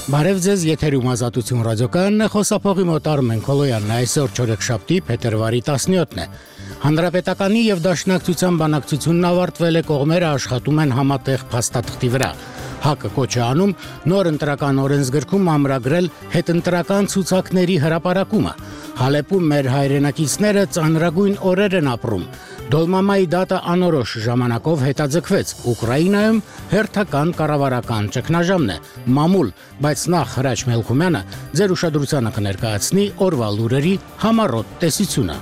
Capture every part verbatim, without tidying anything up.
Բարև ձեզ, եթերում Ազատություն ռադիոկայանն է, խոսափողի մոտ Արմեն Քոլոյանն է, այսօր չորեքշաբթի, փետրվարի տասնյոթն է։ Հանրապետականի եւ Դաշնակցության բանակցությունն ավարտվել է, կողմերը աշխատում են համատեղ փաստաթղթի վրա։ ՀԱԿ-ը կոչ է անում նոր ընտրական օրենսգրքում ամրագրել հետընտրական ցուցակների հրապարակումը։ Հալեպում մեր հայրենակիցները ծանրագույն օրեր են ապրում։ Դոլմամայի դատը անորոշ ժամանակով հետաձգվեց։ Ուկրաինայում հերթական կառավարական ճգնաժամն է, մամուլ, բայց նախ Հրաչ Մելքումյանը ձեր ուշադրությանը կներկայացնի օրվա լուրերի համառոտ տեսությունը։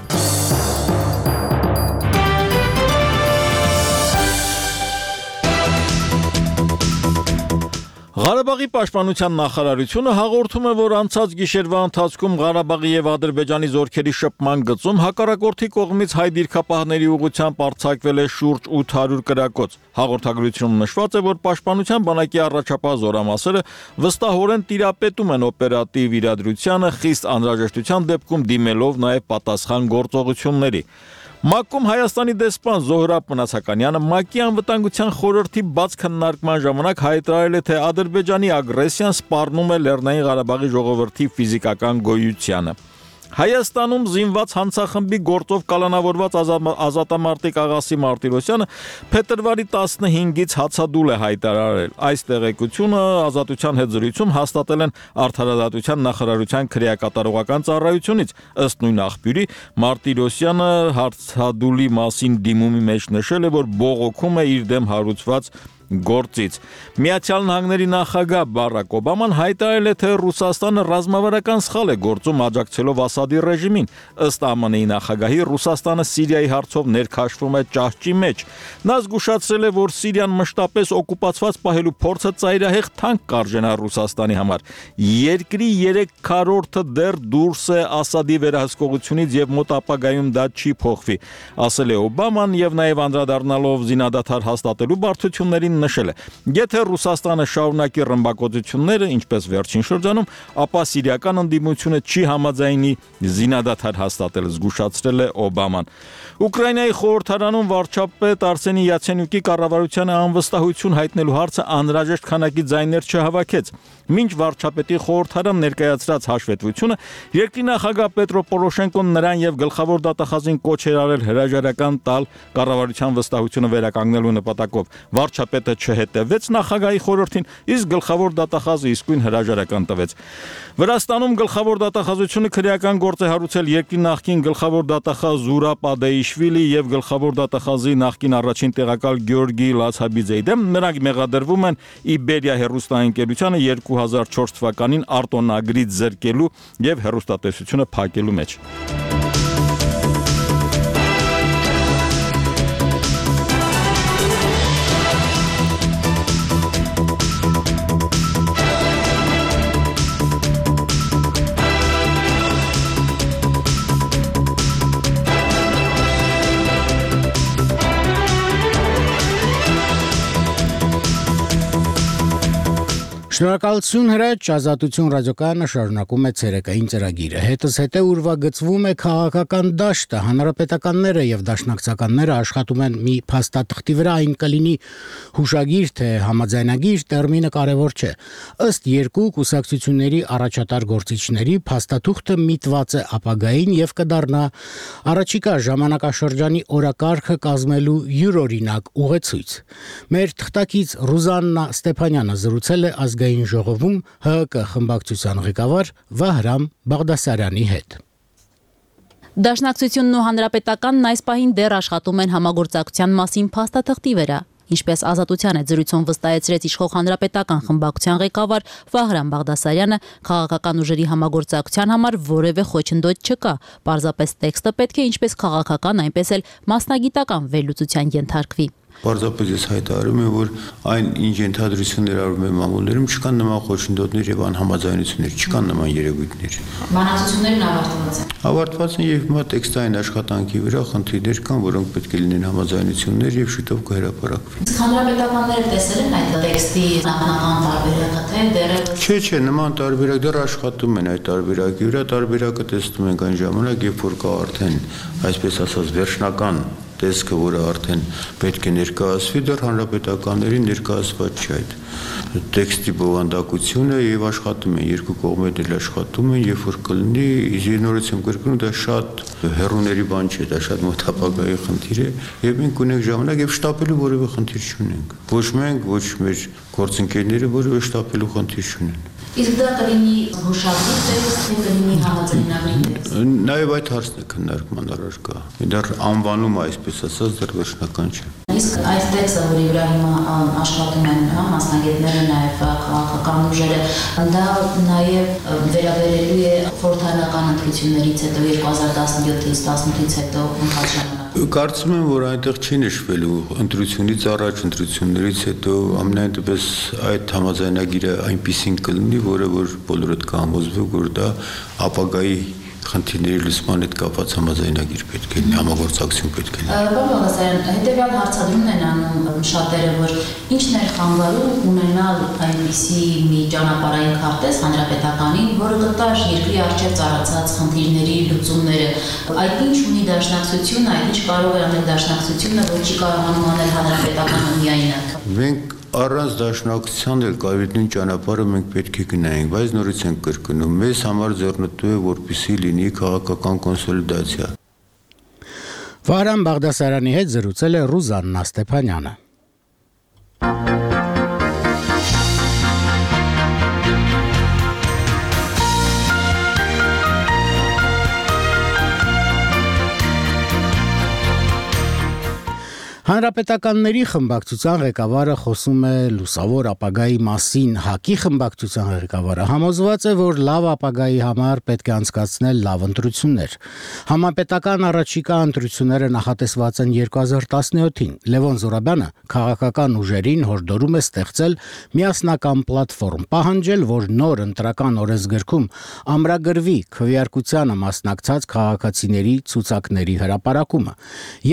Ղարաբաղի պաշտպանության նախարարությունը հաղորդում է, որ անցած գիշերվա ընթացքում Ղարաբաղի եւ Ադրբեջանի զորքերի շփման գծում հակառակորդի կողմից հայ դիրքապահների ուղղությամբ արձակվել է շուրջ ութ հարյուր կրակոց։ Հաղորդագրությունում նշված է, որ պաշտպանության բանակի առաջապահ զորամասերը վստահորեն տիրապետում են օպերատիվ իրադրությանը, խիստ անհրաժեշտության դեպքում դիմելով նաեւ պատասխան գործողությունների։ ՄԱԿ-ում Հայաստանի դեսպան Զոհրաբ Մնացականյանը ՄԱԿ-ի անվտանգության խորհրդի բաց քննարկման ժամանակ հայտարարել է, թե Ադրբեջանի ագրեսիան սպառնում է Լեռնային Ղարաբաղի ժողովրդի ֆիզիկական գոյությանը։ Հայաստանում զինված հանցախմբի գործով կալանավորված ազատամարտիկ Աղասի Մարտիրոսյանը փետրվարի տասնհինգից հացադուլ է հայտարարել։ Այս տեղեկությունը Ազատության հետ զրույցում հաստատել են Արդարադատության նախարարության քրեակատարողական ծառայությունից։ Ըստ նույն աղբյուրի, Մարտիրոսյանը հացադուլի մասին դիմումի մեջ նշել է, որ բողոքում է իր դեմ հարուցված գործից։ Միացյալ Նահանգների նախագահ Բարակ Օբաման հայտարարել է, թե Ռուսաստանը ռազմավարական սխալ է գործում աջակցելով Ասադի ռեժիմին։ Ըստ ԱՄՆ-ի նախագահի, Ռուսաստանը Սիրիայի հարցով ներքաշվում է ճահճի մեջ։ Նա զգուշացրել է, որ Սիրիան մշտապես օկուպացված պահելու փորձը ծայրահեղ թանկ կարժենա Ռուսաստանի համար։ Երկրի երեք քառորդը դեռ դուրս է Ասադի վերահսկողությունից եւ մոտ ապագայում դա չի փոխվի, ասել է Օբաման եւ նաեւ անդրադառնալով զինադադար հաստատելու բարդություններին նշել է. Եթե Ռուսաստանը շարունակի ռմբակոծությունները, ինչպես վերջին շրջանում, ապա սիրիական ընդդիմությունը չի համաձայնի զինադադար հաստատել, զգուշացրել է Օբաման։ Ուկրաինայի խորհրդարանում վարչապետ Արսենի Յացենյուկի կառավարությանը անվստահություն հայտնելու հարցը անհրաժեշտ քանակի ձայներ չհավաքեց։ Մինչ վարչապետի խորհրդարան ներկայացրած հաշվետվությունը, երկրի նախագահ Պետրո Պորոշենկոն նրան եւ գլխավոր դատախազին կոչ էր արել հրաժարական տալ կառավարության վստահությունը վերականգնելու նպատակով։ Վարչապետը չհետևեց նախագահի խորհրդին, իսկ գլխավոր դատախազը իսկույն հրաժարական տվեց։ Վրաստանում գլխավոր դատախազությունը քրեական գործ է հարուցել երկրի նախկին գլխավոր դատախազ Զուրաբ Ադեիշվիլի եւ գլխավոր դատախազի նախկին առաջին տեղակալ Գյորգի Լացաբիձեի դեմ։ Նրանք մեղադրվում են Իբերիա հեռուստաընկերությանը երկու հազար չորս թվականին արտոնագրից զրկելու եւ հեռուստատեսությունը փակելու մեջ։ Շնորհակալություն Հրաչ, Ազատություն ռադիոկայանը շարունակում է ցերեկային ծրագիրը։ Հետս հետե ուրվագծվում է քաղաքական դաշտը, հանրապետականները եւ դաշնակցականները աշխատում են մի փաստաթղթի վրա, այն կլինի հուշագիր թե համաձայնագիր, տերմինը կարևոր չէ։ Ըստ երկու կուսակցությունների առաջատար գործիչների, փաստաթուղթը միտված է ապագային եւ կդառնա առաջիկա ժամանակաշրջանի օրակարգը կազմելու յուրօրինակ ուղեցույց։ Մեր թղթակից Ռուզաննա Ստեփանյանը զրուցել է ազգային ժողովում ՀՀԿ խմբակցության ղեկավար Վահրամ Բաղդասարյանի հետ։ Դաշնակցությունն ու հանրապետականն այս պահին դեռ աշխատում են համագործակցության մասին փաստաթղթի վրա, ինչպես Ազատության հետ զրույցում վստահեցրեց իշխող հանրապետական խմբակցության ղեկավար Վահրամ Բաղդասարյանը, քաղաքական ուժերի համագործակցության համար որևէ խոչընդոտ չկա, պարզապես տեքստը պետք է ինչպես քաղաքական, այնպես էլ մասնագիտական վերլուծության ենթարկվի։ Պարզապես ես հայտարարում եմ, որ այն ինչ ենթադրություններ արվում են մամուլներում, չկան նման խոչընդոտներ եւ անհամաձայնություններ, չկան նման երևույթներ։ Բանակցություններն ավարտված են։ Ավարտված են եւ հիմա տեքստային աշխատանքի վրա խնդիրներ կան, որոնք պետք է լինեն համաձայնություններ եւ շուտով կհրապարակվի։ Իսկ հանրապետականները տեսել են այդ տեքստի նախնական տարբերակը, թե դեռևս Չէ, չէ, նման տարբերակ դեռ աշխատում են այդ տարբերակի վրա, տարբերակը տեսնում ենք այն ժամանակ, երբ որ կա արդեն, այսպես ասած, վերջնական տեսքը, որը արդեն պետք է ներկայացվի, դեռ հանրապետականներին ներկայացված չի այդ տեքստի բովանդակությունը եւ աշխատում են երկու կողմերն էլ աշխատում են, երբ որ կլինի, նորից եմ կրկնում, դա շատ հեռուների բան չէ, դա շատ մոտ ապագայի խնդիր է եւ մենք ունենք ժամանակ եւ շտապելու որևէ խնդիր չունենք։ Ոչ մենք, ոչ մեր գործընկերները որևէ շտապելու խնդիր չունեն։ Իսկ դա կլինի հուշարձի տեքստ, թե կլինի համաձայնագրի տեքստ։ Նաեւ այդ հարցն է քննարկման առարկա։ Դեռ անվանումը այսպես ասած դեռ վերջնական չէ։ Իսկ այս տեքստը, որի վրա հիմա աշխատում են մասնագետները, նաև քաղաքական ուժերը, դա նաև վերաբերելու է խորհրդարանական ընտրություններից հետո երկու հազար տասնյոթից տասնութից հետո ընթաց ժամանակ։ Կարծում եմ, որ այնտեղ չի նշվելու ընտրությունից առաջ, ընտրություններից հետո ամենայն դեպս այդ համաձայնագիրը այնպիսին կլինի, որը որ բոլորդ կհամոզվի, որ դա ապագայի խնդիրների լուծման հետ կապված համաձայնագիր պետք է լինի, համագործակցություն պետք է լինի։ Պարոն Բաղդասարյան, հետևյալ հարցադրումն են անում շատերը, որ ինչն է խանգարում ունենալ այնպիսի մի ճանապարհային քարտեզ հանրապետականին, որը կտար երկրի առջև ծառացած խնդիրների լուծումները։ Այդ ինչ ունի դաշնակցությունը, այդ ինչ կարող է անել դաշնակցությունը, որ չի կարողանում անել հանրապետականը միայնակ։ Մենք առանց դաշնակցության էլ կարևորին ճանապարհը մենք պետք է գնայինք, բայց նորից ենք կրկնում, մեզ համար ձեռնտու է, որպեսզի լինի քաղաքական կոնսոլիդացիա։ Վահրամ Բաղդասարյանի հետ զրուցել է Ռուզաննա Ստեփանյանը։ Հանրապետականների խմբակցության ղեկավարը խոսում է լուսավոր ապագայի մասին, ՀԱԿ-ի խմբակցության ղեկավարը համոզված է, որ լավ ապագայի համար պետք է անցկացնել լավ ընտրություններ։ Համապետական առաջիկա ընտրությունները նախատեսված են երկու հազար տասնյոթին։ Լևոն Զուրաբյանը քաղաքական ուժերին հորդորում է ստեղծել միասնական պլատֆորմ, պահանջել, որ նոր ընտրական օրենսգրքում ամրագրվի քվեարկությանը մասնակցած քաղաքացիների ցուցակների հրապարակումը։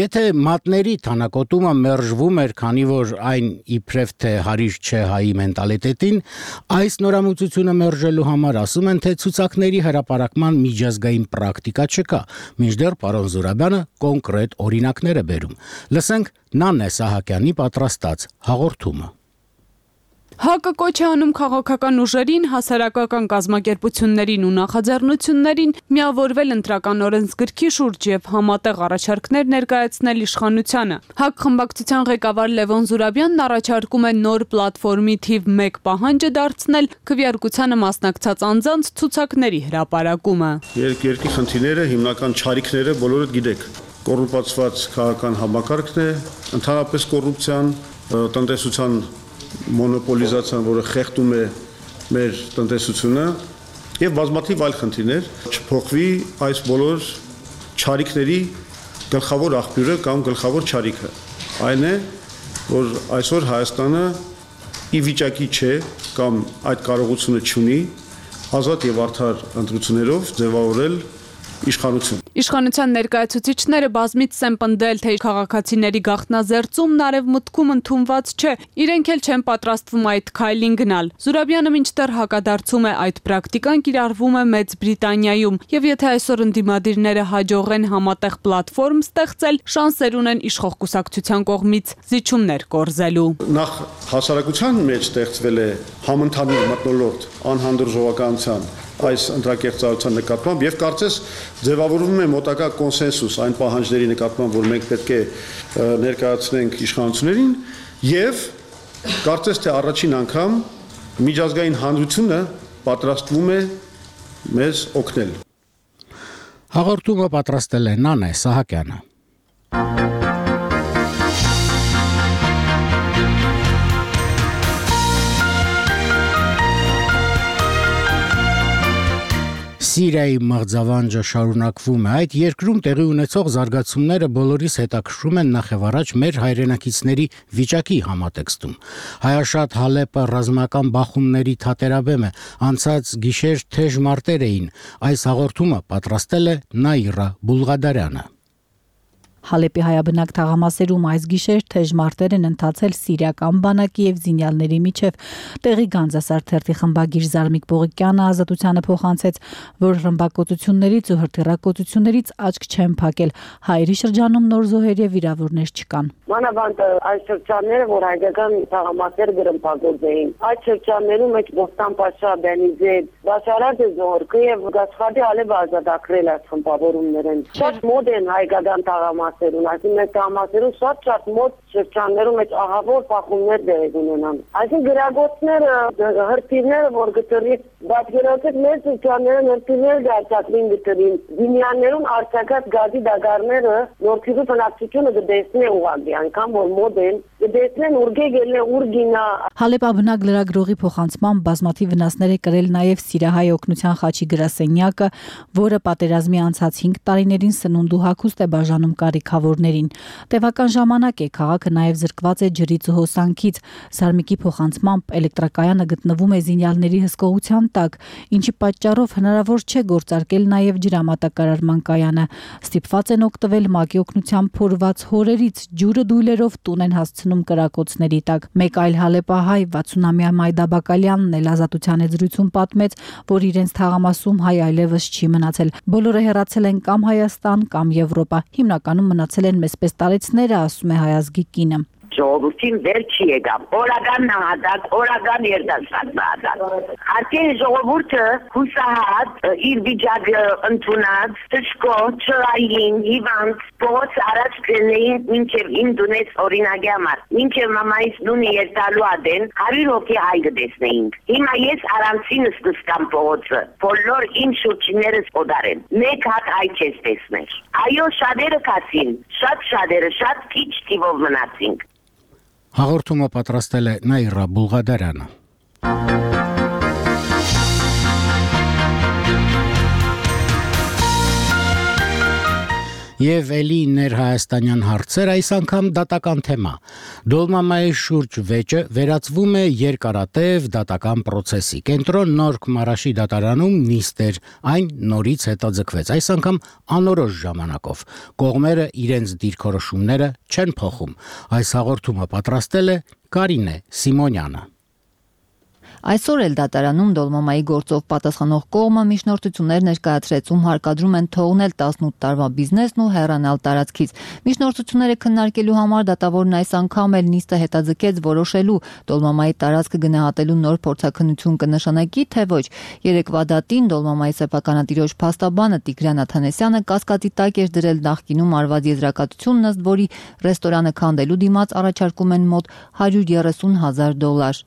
Եթե մատների թանակ Ոտումը մերժվում էր, քանի որ այն իբրև թե հարիր չէ հայի մենտալիտետին, այս նորամուծությունը մերժելու համար ասում են, թե ցուցակների հրապարակման միջազգային պրակտիկա չկա, մինչդեռ պարոն Զուրաբյանը կոնկրետ օրինակներ է բերում։ Լսենք Նանե Սահակյանի պատրաստած հաղորդումը։ ՀԱԿ-ը կոչ է անում քաղաքական ուժերին, հասարակական կազմակերպություններին ու նախաձեռնություններին միավորվել ընտրական օրենսգրքի շուրջ եւ համատեղ առաջարկներ ներկայացնել իշխանությանը։ ՀԱԿ խմբակցության ղեկավար Լևոն Զուրաբյանն առաջարկում է նոր պլատֆորմի թիվ մեկ պահանջը դարձնել քվեարկությանը մասնակցած անձանց ցուցակների հրապարակումը։ Երկրի խնդիրները, հիմնական չարիքները բոլորդ գիտեք։ Կոռուպացված քաղաքական համակարգն է, ընդհանրապես կոռուպցիան, տնտեսության մոնոպոլիզացիան, որը խեղդում է մեր տնտեսությունը եւ բազմաթիվ այլ խնդիրներ, չփոխվի այս բոլոր չարիքների գլխավոր աղբյուրը կամ գլխավոր չարիքը։ Այն է, որ այսօր Հայաստանը ի վիճակի չէ կամ այդ կարողությունը չունի ազատ եւ արդար ընտրություններով ձևավորել իշխանություն։ Իշխանության ներկայացուցիչները բազմից են պնդել, թե քաղաքացիների գաղտնազերծումն արևմուտքում ընդունված չէ, իրենք էլ չեն պատրաստվում այդ քայլին գնալ։ Զուրաբյանը մինչդեռ հակադարձում է, այդ պրակտիկան կիրառվում է Մեծ Բրիտանիայում, եւ եթե այսօր ընդդիմադիրները հաջողեն համատեղ պլատֆորմ ստեղծել, շանսեր ունեն իշխող կուսակցության կողմից զիջումներ կորզելու։ Նախ հասարակության մեջ ստեղծվել է համընդհանուր մթնոլորտ անհանդուրժողականության այս ընտրակերպարության նկատմամբ եւ կարծես ձևավորվում է մոտակա կոնսենսուս այն պահանջների նկատմամբ, որ մենք պետք է ներկայացնենք իշխանություններին եւ կարծես թե առաջին անգամ միջազգային հանրությունը պատրաստվում է մեզ օգնել։ Հաղորդումը պատրաստել է Նանե Սահակյանը։ Սիրիայի մղձավանջը շարունակվում է։ Այդ երկրում տեղի ունեցող զարգացումները բոլորիս հետաքրքրում են նախևառաջ մեր հայրենակիցների վիճակի համատեքստում։ Հայաշատ Հալեպը ռազմական բախումների թատերաբեմ է, անցած գիշեր թեժ մարտեր էին։ Այս հաղորդումը պատրաստել է Նաիրա Բուլղադարյանը։ Հալեպի հայաբնակ թաղամասերում այս գիշեր թեժ մարտեր են ընթացել սիրիական բանակի եւ զինյալների միջև։ Տեղի Գանձասարթերթի խմբագիր Զարմիկ Պողիկյանը Ազատությանը փոխանցեց, որ ռմբակոծություններից ու հրթիռակոծություններից աչք չեն փակել։ Հայերի շրջանում նոր զոհեր եւ վիրավորներ չկան։ Մանավանդ այս շրջանները, որ հայկական թաղամասեր գրմփագործեին, այդ շրջաններում մեջ Բոստան Պաշա, Բենիզեդ, Բաշարադ Զորկը եւ Գասխադի Ալեվը ազատագրել այս խմբավորումներն։ Շատ մոտ են հայկական թաղամասերուն, այսինքն մեր թաղամասերում շատ-շատ մոտ շրջաններում մեջ ահավոր փախումներ դեր ունենան։ Այսինքն գրագործները, հրթիռները, որ գտրի, բացերացած մեր շրջանները հրթիռներ դարձածին գտրին, զինյաներուն արձակած գազի դագարները նորքիզու բնակչությունը դեսնե ուղղակի, անգամ որ մոտ են, դեսնեն ուրգե գելնե ուրգինա։ Հալեպ բնակ լրագրողի փոխանցմամբ բազմաթիվ վնասներ է կրել նաև Սիրիահայ օգնության խաչի գրասենյակը, որը պատերազմի անցած հինգ տարիներին սնունդ ու հագուստ է բաժանում կարիքավորներին։ Տևական ժամանակ է քաղաքը նաև զրկված է ջրից ու հոսանքից։ Զարմիկի փոխանցմամբ էլեկտրակայանը գտնվում է զինյալների հսկողության տակ, ինչի պատճառով հնարավոր չէ գործարկել նաև ջրամատակարարման կայանը։ Ստիպված են օգտվել ՄԱԿ-ի օգնությամբ փորված հորերից, ջուրը դույլերով տուն են հասցնում կրակոցների տակ։ Մեկ այլ հալեպահայ վաթսունամյա Մայդա Բակալյանն էլ Ազատության զրույցում պատմեց, որ իրենց թաղամասում հայ այլևս չի մնացել։ Բոլորը հեռացել են կամ Հայաստան, կամ Եվրոպա։ Հիմնականում մնացել են մեծպես տարեցները, ասում է հայազգի կինը։ Ժողովրդին վեր չի եկավ, օրական նահատակ, օրական երդասարդ նահատակ։ Արդեն ժողովուրդը հուսահատ, իր վիճակը ընդունած, թշկո, չրային, հիվանդ, փողոց առաջ գնային մինչև իմ դունեց օրինակի համար։ Մինչև մամայիս դունի երտալու ադեն հարյուր հոգի հայ կտեսնեինք։ Հիմա ես առանցինս կստամ փողոցը, բոլոր իմ շուրջիներս օդարեն։ Մեկ հատ հայ չես տեսներ։ Այո, շատերը կասին, շատ շատերը, շատ քիչ թիվով մնացինք։ Հաղորդումը պատրաստել է Նաիրա Բուլղադարյանը։ Եվ էլի ներհայաստանյան հարցեր այս անգամ դատական թեմա։ Դոլմամայի շուրջ վեճը վերածվում է երկարատև դատական պրոցեսի։ Կենտրոն Նորք Մարաշի դատարանում նիստ էր, այն նորից հետաձգվեց, այս անգամ անորոշ ժամանակով։ Կողմերը իրենց դիրքորոշումները չեն փոխում։ Այս հաղորդումը պատրաստել է Կարինե Սիմոնյանը։ Այսօր էլ դատարանում Դոլմամայի գործով պատասխանող կողմը միջնորդություններ ներկայացրեց, ում հարկադրում են թողնել տասնութ տարվա բիզնեսն ու հեռանալ տարածքից։ Միջնորդությունները քննարկելու համար դատավորն այս անգամ էլ նիստը հետաձգեց որոշելու Դոլմամայի տարածքը գնահատելու նոր փորձաքննություն կնշանակի, թե ոչ։ Երեկվա դատին Դոլմամայի սեփականատիրոջ փաստաբանը Տիգրան Աթանեսյանը կասկածի տակ էր դրել նախկինում արված եզրակացությունն, ըստ որի ռեստորանը քանդելու դիմաց առաջարկում են մոտ հարյուր երեսուն հազար դոլար։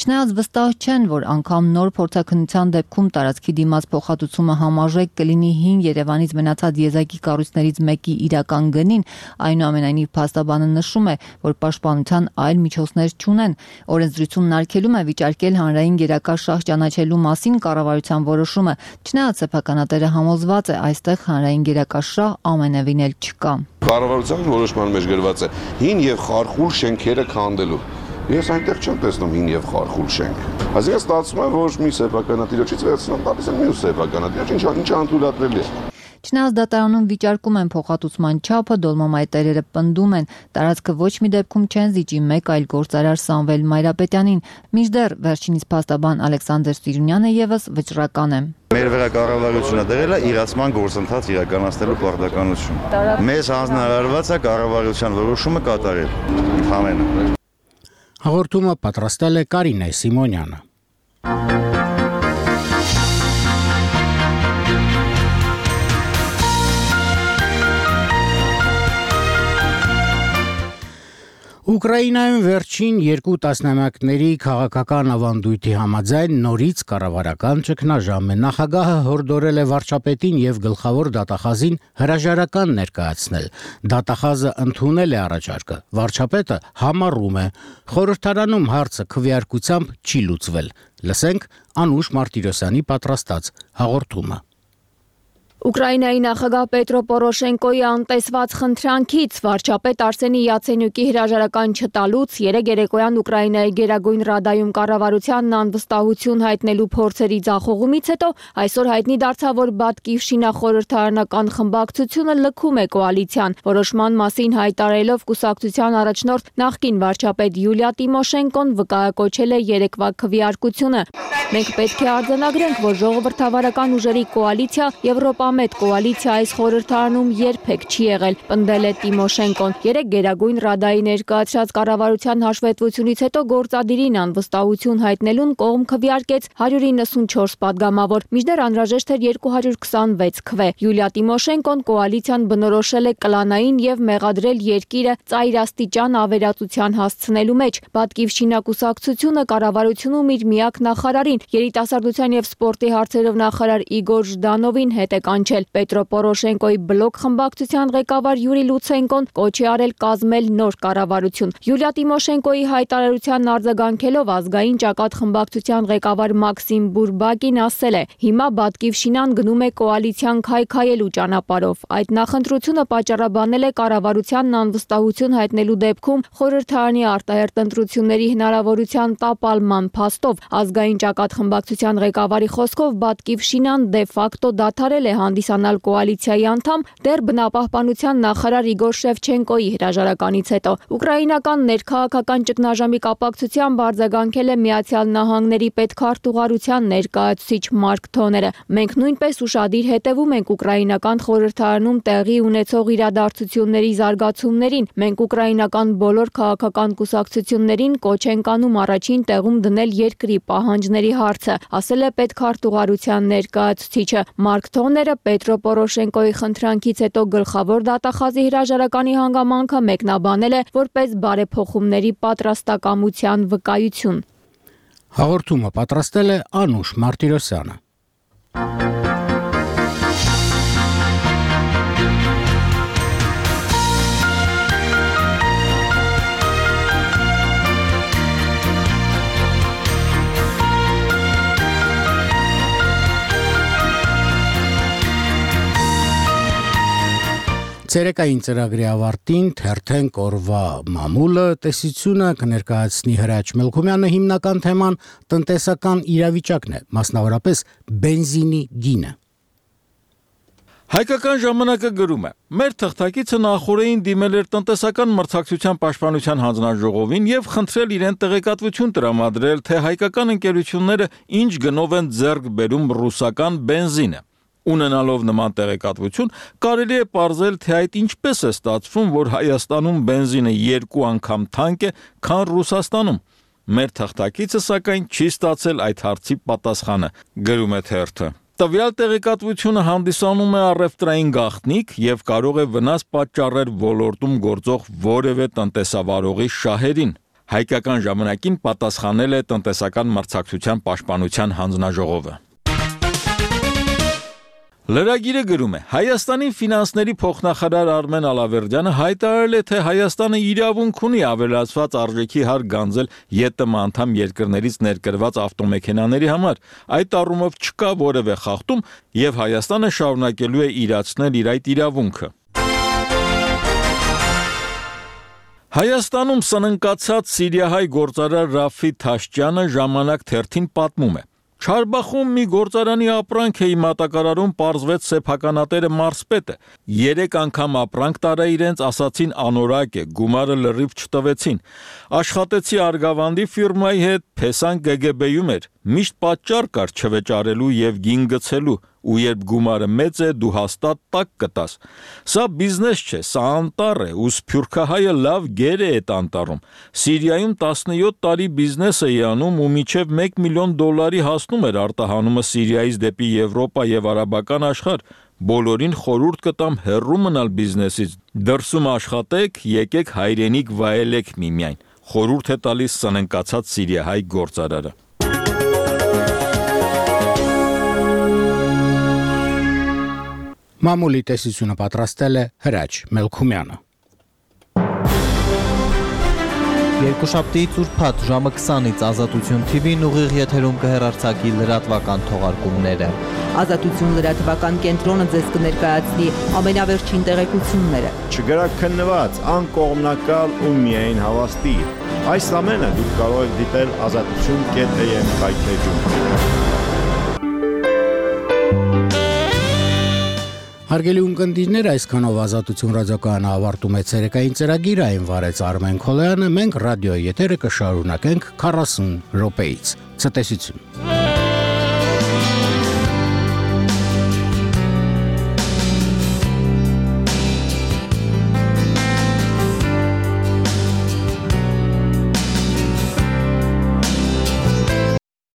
Չնայած վստահ չեն, որ անգամ նոր փորձաքննության դեպքում տարածքի դիմաց փոխհատուցումը համարժեք կլինի հին Երևանից մնացած եզակի կառույցներից մեկի իրական գնին, այնուամենայնիվ փաստաբանը նշում է, որ պաշտպանության այլ միջոցներ չունեն։ Օրենսդրությունն արգելում է վիճարկել հանրային գերակա շահ ճանաչելու մասին կառավարության որոշումը, չնայած սեփականատերը համոզված է, այստեղ հանրային գերակա շահ ամենևին էլ չկա։ Կառավարության որոշման մեջ գրված է հին եւ խարխուլ շենքերը քանդելու։ Ես այնտեղ չեմ տեսնում հին եւ խարխուլ շենք։ Այսինքն ստացվում է, որ մի սեփականատիրոջից վերցնում տալիս են մյուս սեփականատիրոջ, ինչը ինչը անթույլատրելի է։ Չնայած դատարանում վիճարկում են փոխհատուցման չափը, Դոլմամայի տերերը պնդում են, տարածքը ոչ մի դեպքում չեն զիջի մեկ այլ գործարար Սամվել Մայրապետյանին, մինչդեռ վերջինիս փաստաբան Ալեքսանդր Սիրունյանը եւս վճռական է։ Մեր վրա կառավարությունը դրել է իրացման գործընթաց իրականացնելու պարտականություն։ Մեզ հանձնարարված է կառավարության որոշումը կատարել։ Ընդհանրապես Հաղորդումը պատրաստել է Կարինե Սիմոնյանը։ Ուկրաինայում վերջին երկու տասնամյակների քաղաքական ավանդույթի համաձայն նորից կառավարական ճգնաժամ է։ Նախագահը հորդորել է վարչապետին եւ գլխավոր դատախազին հրաժարական ներկայացնել։ Դատախազը ընդունել է առաջարկը։ Վարչապետը համառում է։ Խորհրդարանում հարցը քվեարկությամբ չի լուծվել։ Լսենք Անուշ Մարտիրոսյանի պատրաստած հաղորդումը։ Ուկրաինայի նախագահ Պետրո Պորոշենկոյի անտեսված խնդրանքից վարչապետ Արսենի Յացենյուկի հրաժարական չտալուց երեկ երեկոյան Ուկրաինայի Գերագույն Ռադայում կառավարությանն անվստահություն հայտնելու փորձերի ձախողումից հետո այսօր հայտնի դարձավ, որ Բատկիվշինա խորհրդարանական խմբակցությունը լքում է կոալիցիան։ Որոշման մասին հայտարարելով կուսակցության առաջնորդ նախկին վարչապետ Յուլիա Տիմոշենկոն վկայակոչել է երեկվա քվեարկությունը։ Մենք պետք է արձանագրենք, որ ժողովրդավարական ուժերի կոալիցիա Եվրոպամետ կոալիցիա այս խորհրդարանում երբեք չի եղել, պնդել է Տիմոշենկոն։ Երեք Գերագույն Ռադայի ներկայացրած կառավարության հաշվետվությունից հետո գործադիրին անվստահություն հայտնելուն կողմ քվեարկեց հարյուր իննսունչորս падգամավոր, մինչդեռ անհրաժեշտ էր երկու հարյուր քսանվեց քվե։ Յուլիա Տիմոշենկոն կոալիցիան բնորոշել է կլանային եւ մեղադրել երկիրը ծայրաստիճան ավերածության հասցնելու մեջ։ Բատկիվշինա կուսակցությունը կառավարությունում իր միակ նախարարին, երիտասարդության եւ սպորտի հարցերով նախարար Իգոր Ժդանովին հետ է կանչել։ Պետրո Պորոշենկոյի բլոկ խմբակցության ղեկավար Յուրի Լուցենկոն կոչ է արել կազմել նոր կառավարություն։ Յուլիա Տիմոշենկոյի հայտարարությանն արձագանքելով ազգային ճակատ խմբակցության ղեկավար Մաքսիմ Բուրբակին ասել է. հիմա Բատկիվշինան գնում է կոալիցիան քայքայելու ճանապարհով։ Այդ նախընտրությունը պատճառաբանել է կառավարությանն անվստահություն հայտնելու դեպքում խորհրդարանի արտահերտ ընտրությունների հնարավորության տապալման փաստով։ Ազգային ճակատ խմբակցության ղեկավարի խոսքով Բատկիվշինան դե ֆակտո դադարել է հանդիսանալ կոալիցիայի անդամ դեռ բնապահպանության նախարար Իգոր Շևչենկոյի հրաժարականից հետո։ Ուկրաինական ներքաղաքական ճգնաժամի կապակցությամբ արձագանքել է Միացյալ Նահանգների պետքարտուղարության ներկայացուցիչ Մարկ Թոները։ Մենք նույնպես ուշադիր հետևում ենք ուկրաինական խորհրդարանում տեղի ունեցող իրադարձությունների զարգացումներին։ Մենք ուկրաինական բոլոր քաղաքական կուսակցություններին կոչ ենք անում առաջին տեղում դնել երկրի պահանջների հարցը, ասել է պետքարտուղարության ներկայացուցիչը։ Մարկ Թոները Պետրո Պորոշենկոյի խնդրանքից հետո գլխավոր դատախազի հրաժարականի հանգամանքը մեկնաբանել է որպես բարեփոխումների պատրաստակամության վկայություն։ Հաղորդումը պատրաստել է Անուշ Մարտիրոսյանը։ Ցերեկային ծրագրի ավարտին թերթենք օրվա մամուլը, տեսությունը կներկայացնի Հրաչ Մելքումյանը, հիմնական թեման տնտեսական իրավիճակն է, մասնավորապես բենզինի գինը։ Հայկական ժամանակը գրում է. մեր թղթակիցը նախորդին դիմել էր տնտեսական մրցակցության պաշտպանության հանձնաժողովին եւ խնդրել իրեն տեղեկատվություն տրամադրել, թե հայկական ընկերությունները ինչ գնով են ձեռք բերում ռուսական բենզինը։ Ունենալով նման տեղեկատվություն, կարելի է պարզել, թե այդ ինչպես է ստացվում, որ Հայաստանում բենզինը երկու անգամ թանկ է, քան Ռուսաստանում։ Մեր թղթակիցը սակայն չի ստացել այդ հարցի պատասխանը, գրում է թերթը։ Տվյալ տեղեկատվությունը հանդիսանում է առևտրային գաղտնիք եւ կարող է վնաս պատճառել ոլորտում գործող որևէ տնտեսավարողի շահերին։ Հայկական ժամանակին պատասխանել է տնտեսական մրցակցության պաշտպանության հանձնաժողովը։ Լրագիրը գրում է. Հայաստանի ֆինանսների փոխնախարար Արմեն Ալավերդյանը հայտարարել է, թե Հայաստանը իրավունք ունի ավելացված արժեքի հարկ գանձել ԵՏՄ անդամ երկրներից ներկրված ավտոմեքենաների համար։ Այդ առումով չկա որևէ խախտում եւ Հայաստանը շարունակելու է իրացնել իր այդ իրավունքը։ Հայաստանում սննկացած սիրիահայ գործարար Ռաֆի Թաշճյանը ժամանակ թերթին պատմում է. Չարբախում մի գործարանի ապրանք էի մատակարարում, պարզվեց սեփականատերը մարզպետը։ Երեք անգամ ապրանք տարա իրենց, ասացին անորակ է, գումարը լրիվ չտվեցին։ Աշխատեցի Արգավանդի ֆիրմայի հետ, Փեսան Գ Գ B-ում էր։ Միշտ պատճառ կար չվեճարելու եւ գին գցելու, ու երբ գումարը մեծ է, դու հաստատ տակ կտաս։ Սա բիզնես չէ, սա անտառ է, ու սփյուռքահայը լավ գեր է այդ անտառում։ Սիրիայում տասնյոթ տարի բիզնես էի անում ու մինչև մեկ միլիոն դոլարի հասնում էր արտահանումը Սիրիայից դեպի Եվրոպա եւ արաբական աշխարհ։ Բոլորին խորհուրդ կտամ հեռու մնալ բիզնեսից։ Դրսում աշխատեք, եկեք հայրենիք վայելեք միմիայն։ Խորհուրդ է տալիս սննկացած սիրիահայ գործարարը։ Մամուլի տեսությունը պատրաստել է Հրաչ Մելքումյանը։ Երկուշաբթիից ուրբաթ ժամը քսանից Ազատություն թի վին ուղիղ եթերում կհեռարձակի լրատվական թողարկումները։ Ազատություն լրատվական կենտրոնը ձեզ կներկայացնի ամենավերջին տեղեկությունները։ Չգրաքննված, անկողմնակալ ու միայն հավաստի։ Այս ամենը դուք կարող եք դիտել ազատություն կետ էյ էմ կայքեջում։ Հարգելի ունկնդիրներ, այսքանով Ազատություն ռադիոկայանը ավարտում է ցերեկային ծրագիրը, այն վարեց Արմեն Քոլյանը, մենք ռադիոյի եթերը կշարունակենք քառասուն րոպեից։ Ցտեսություն։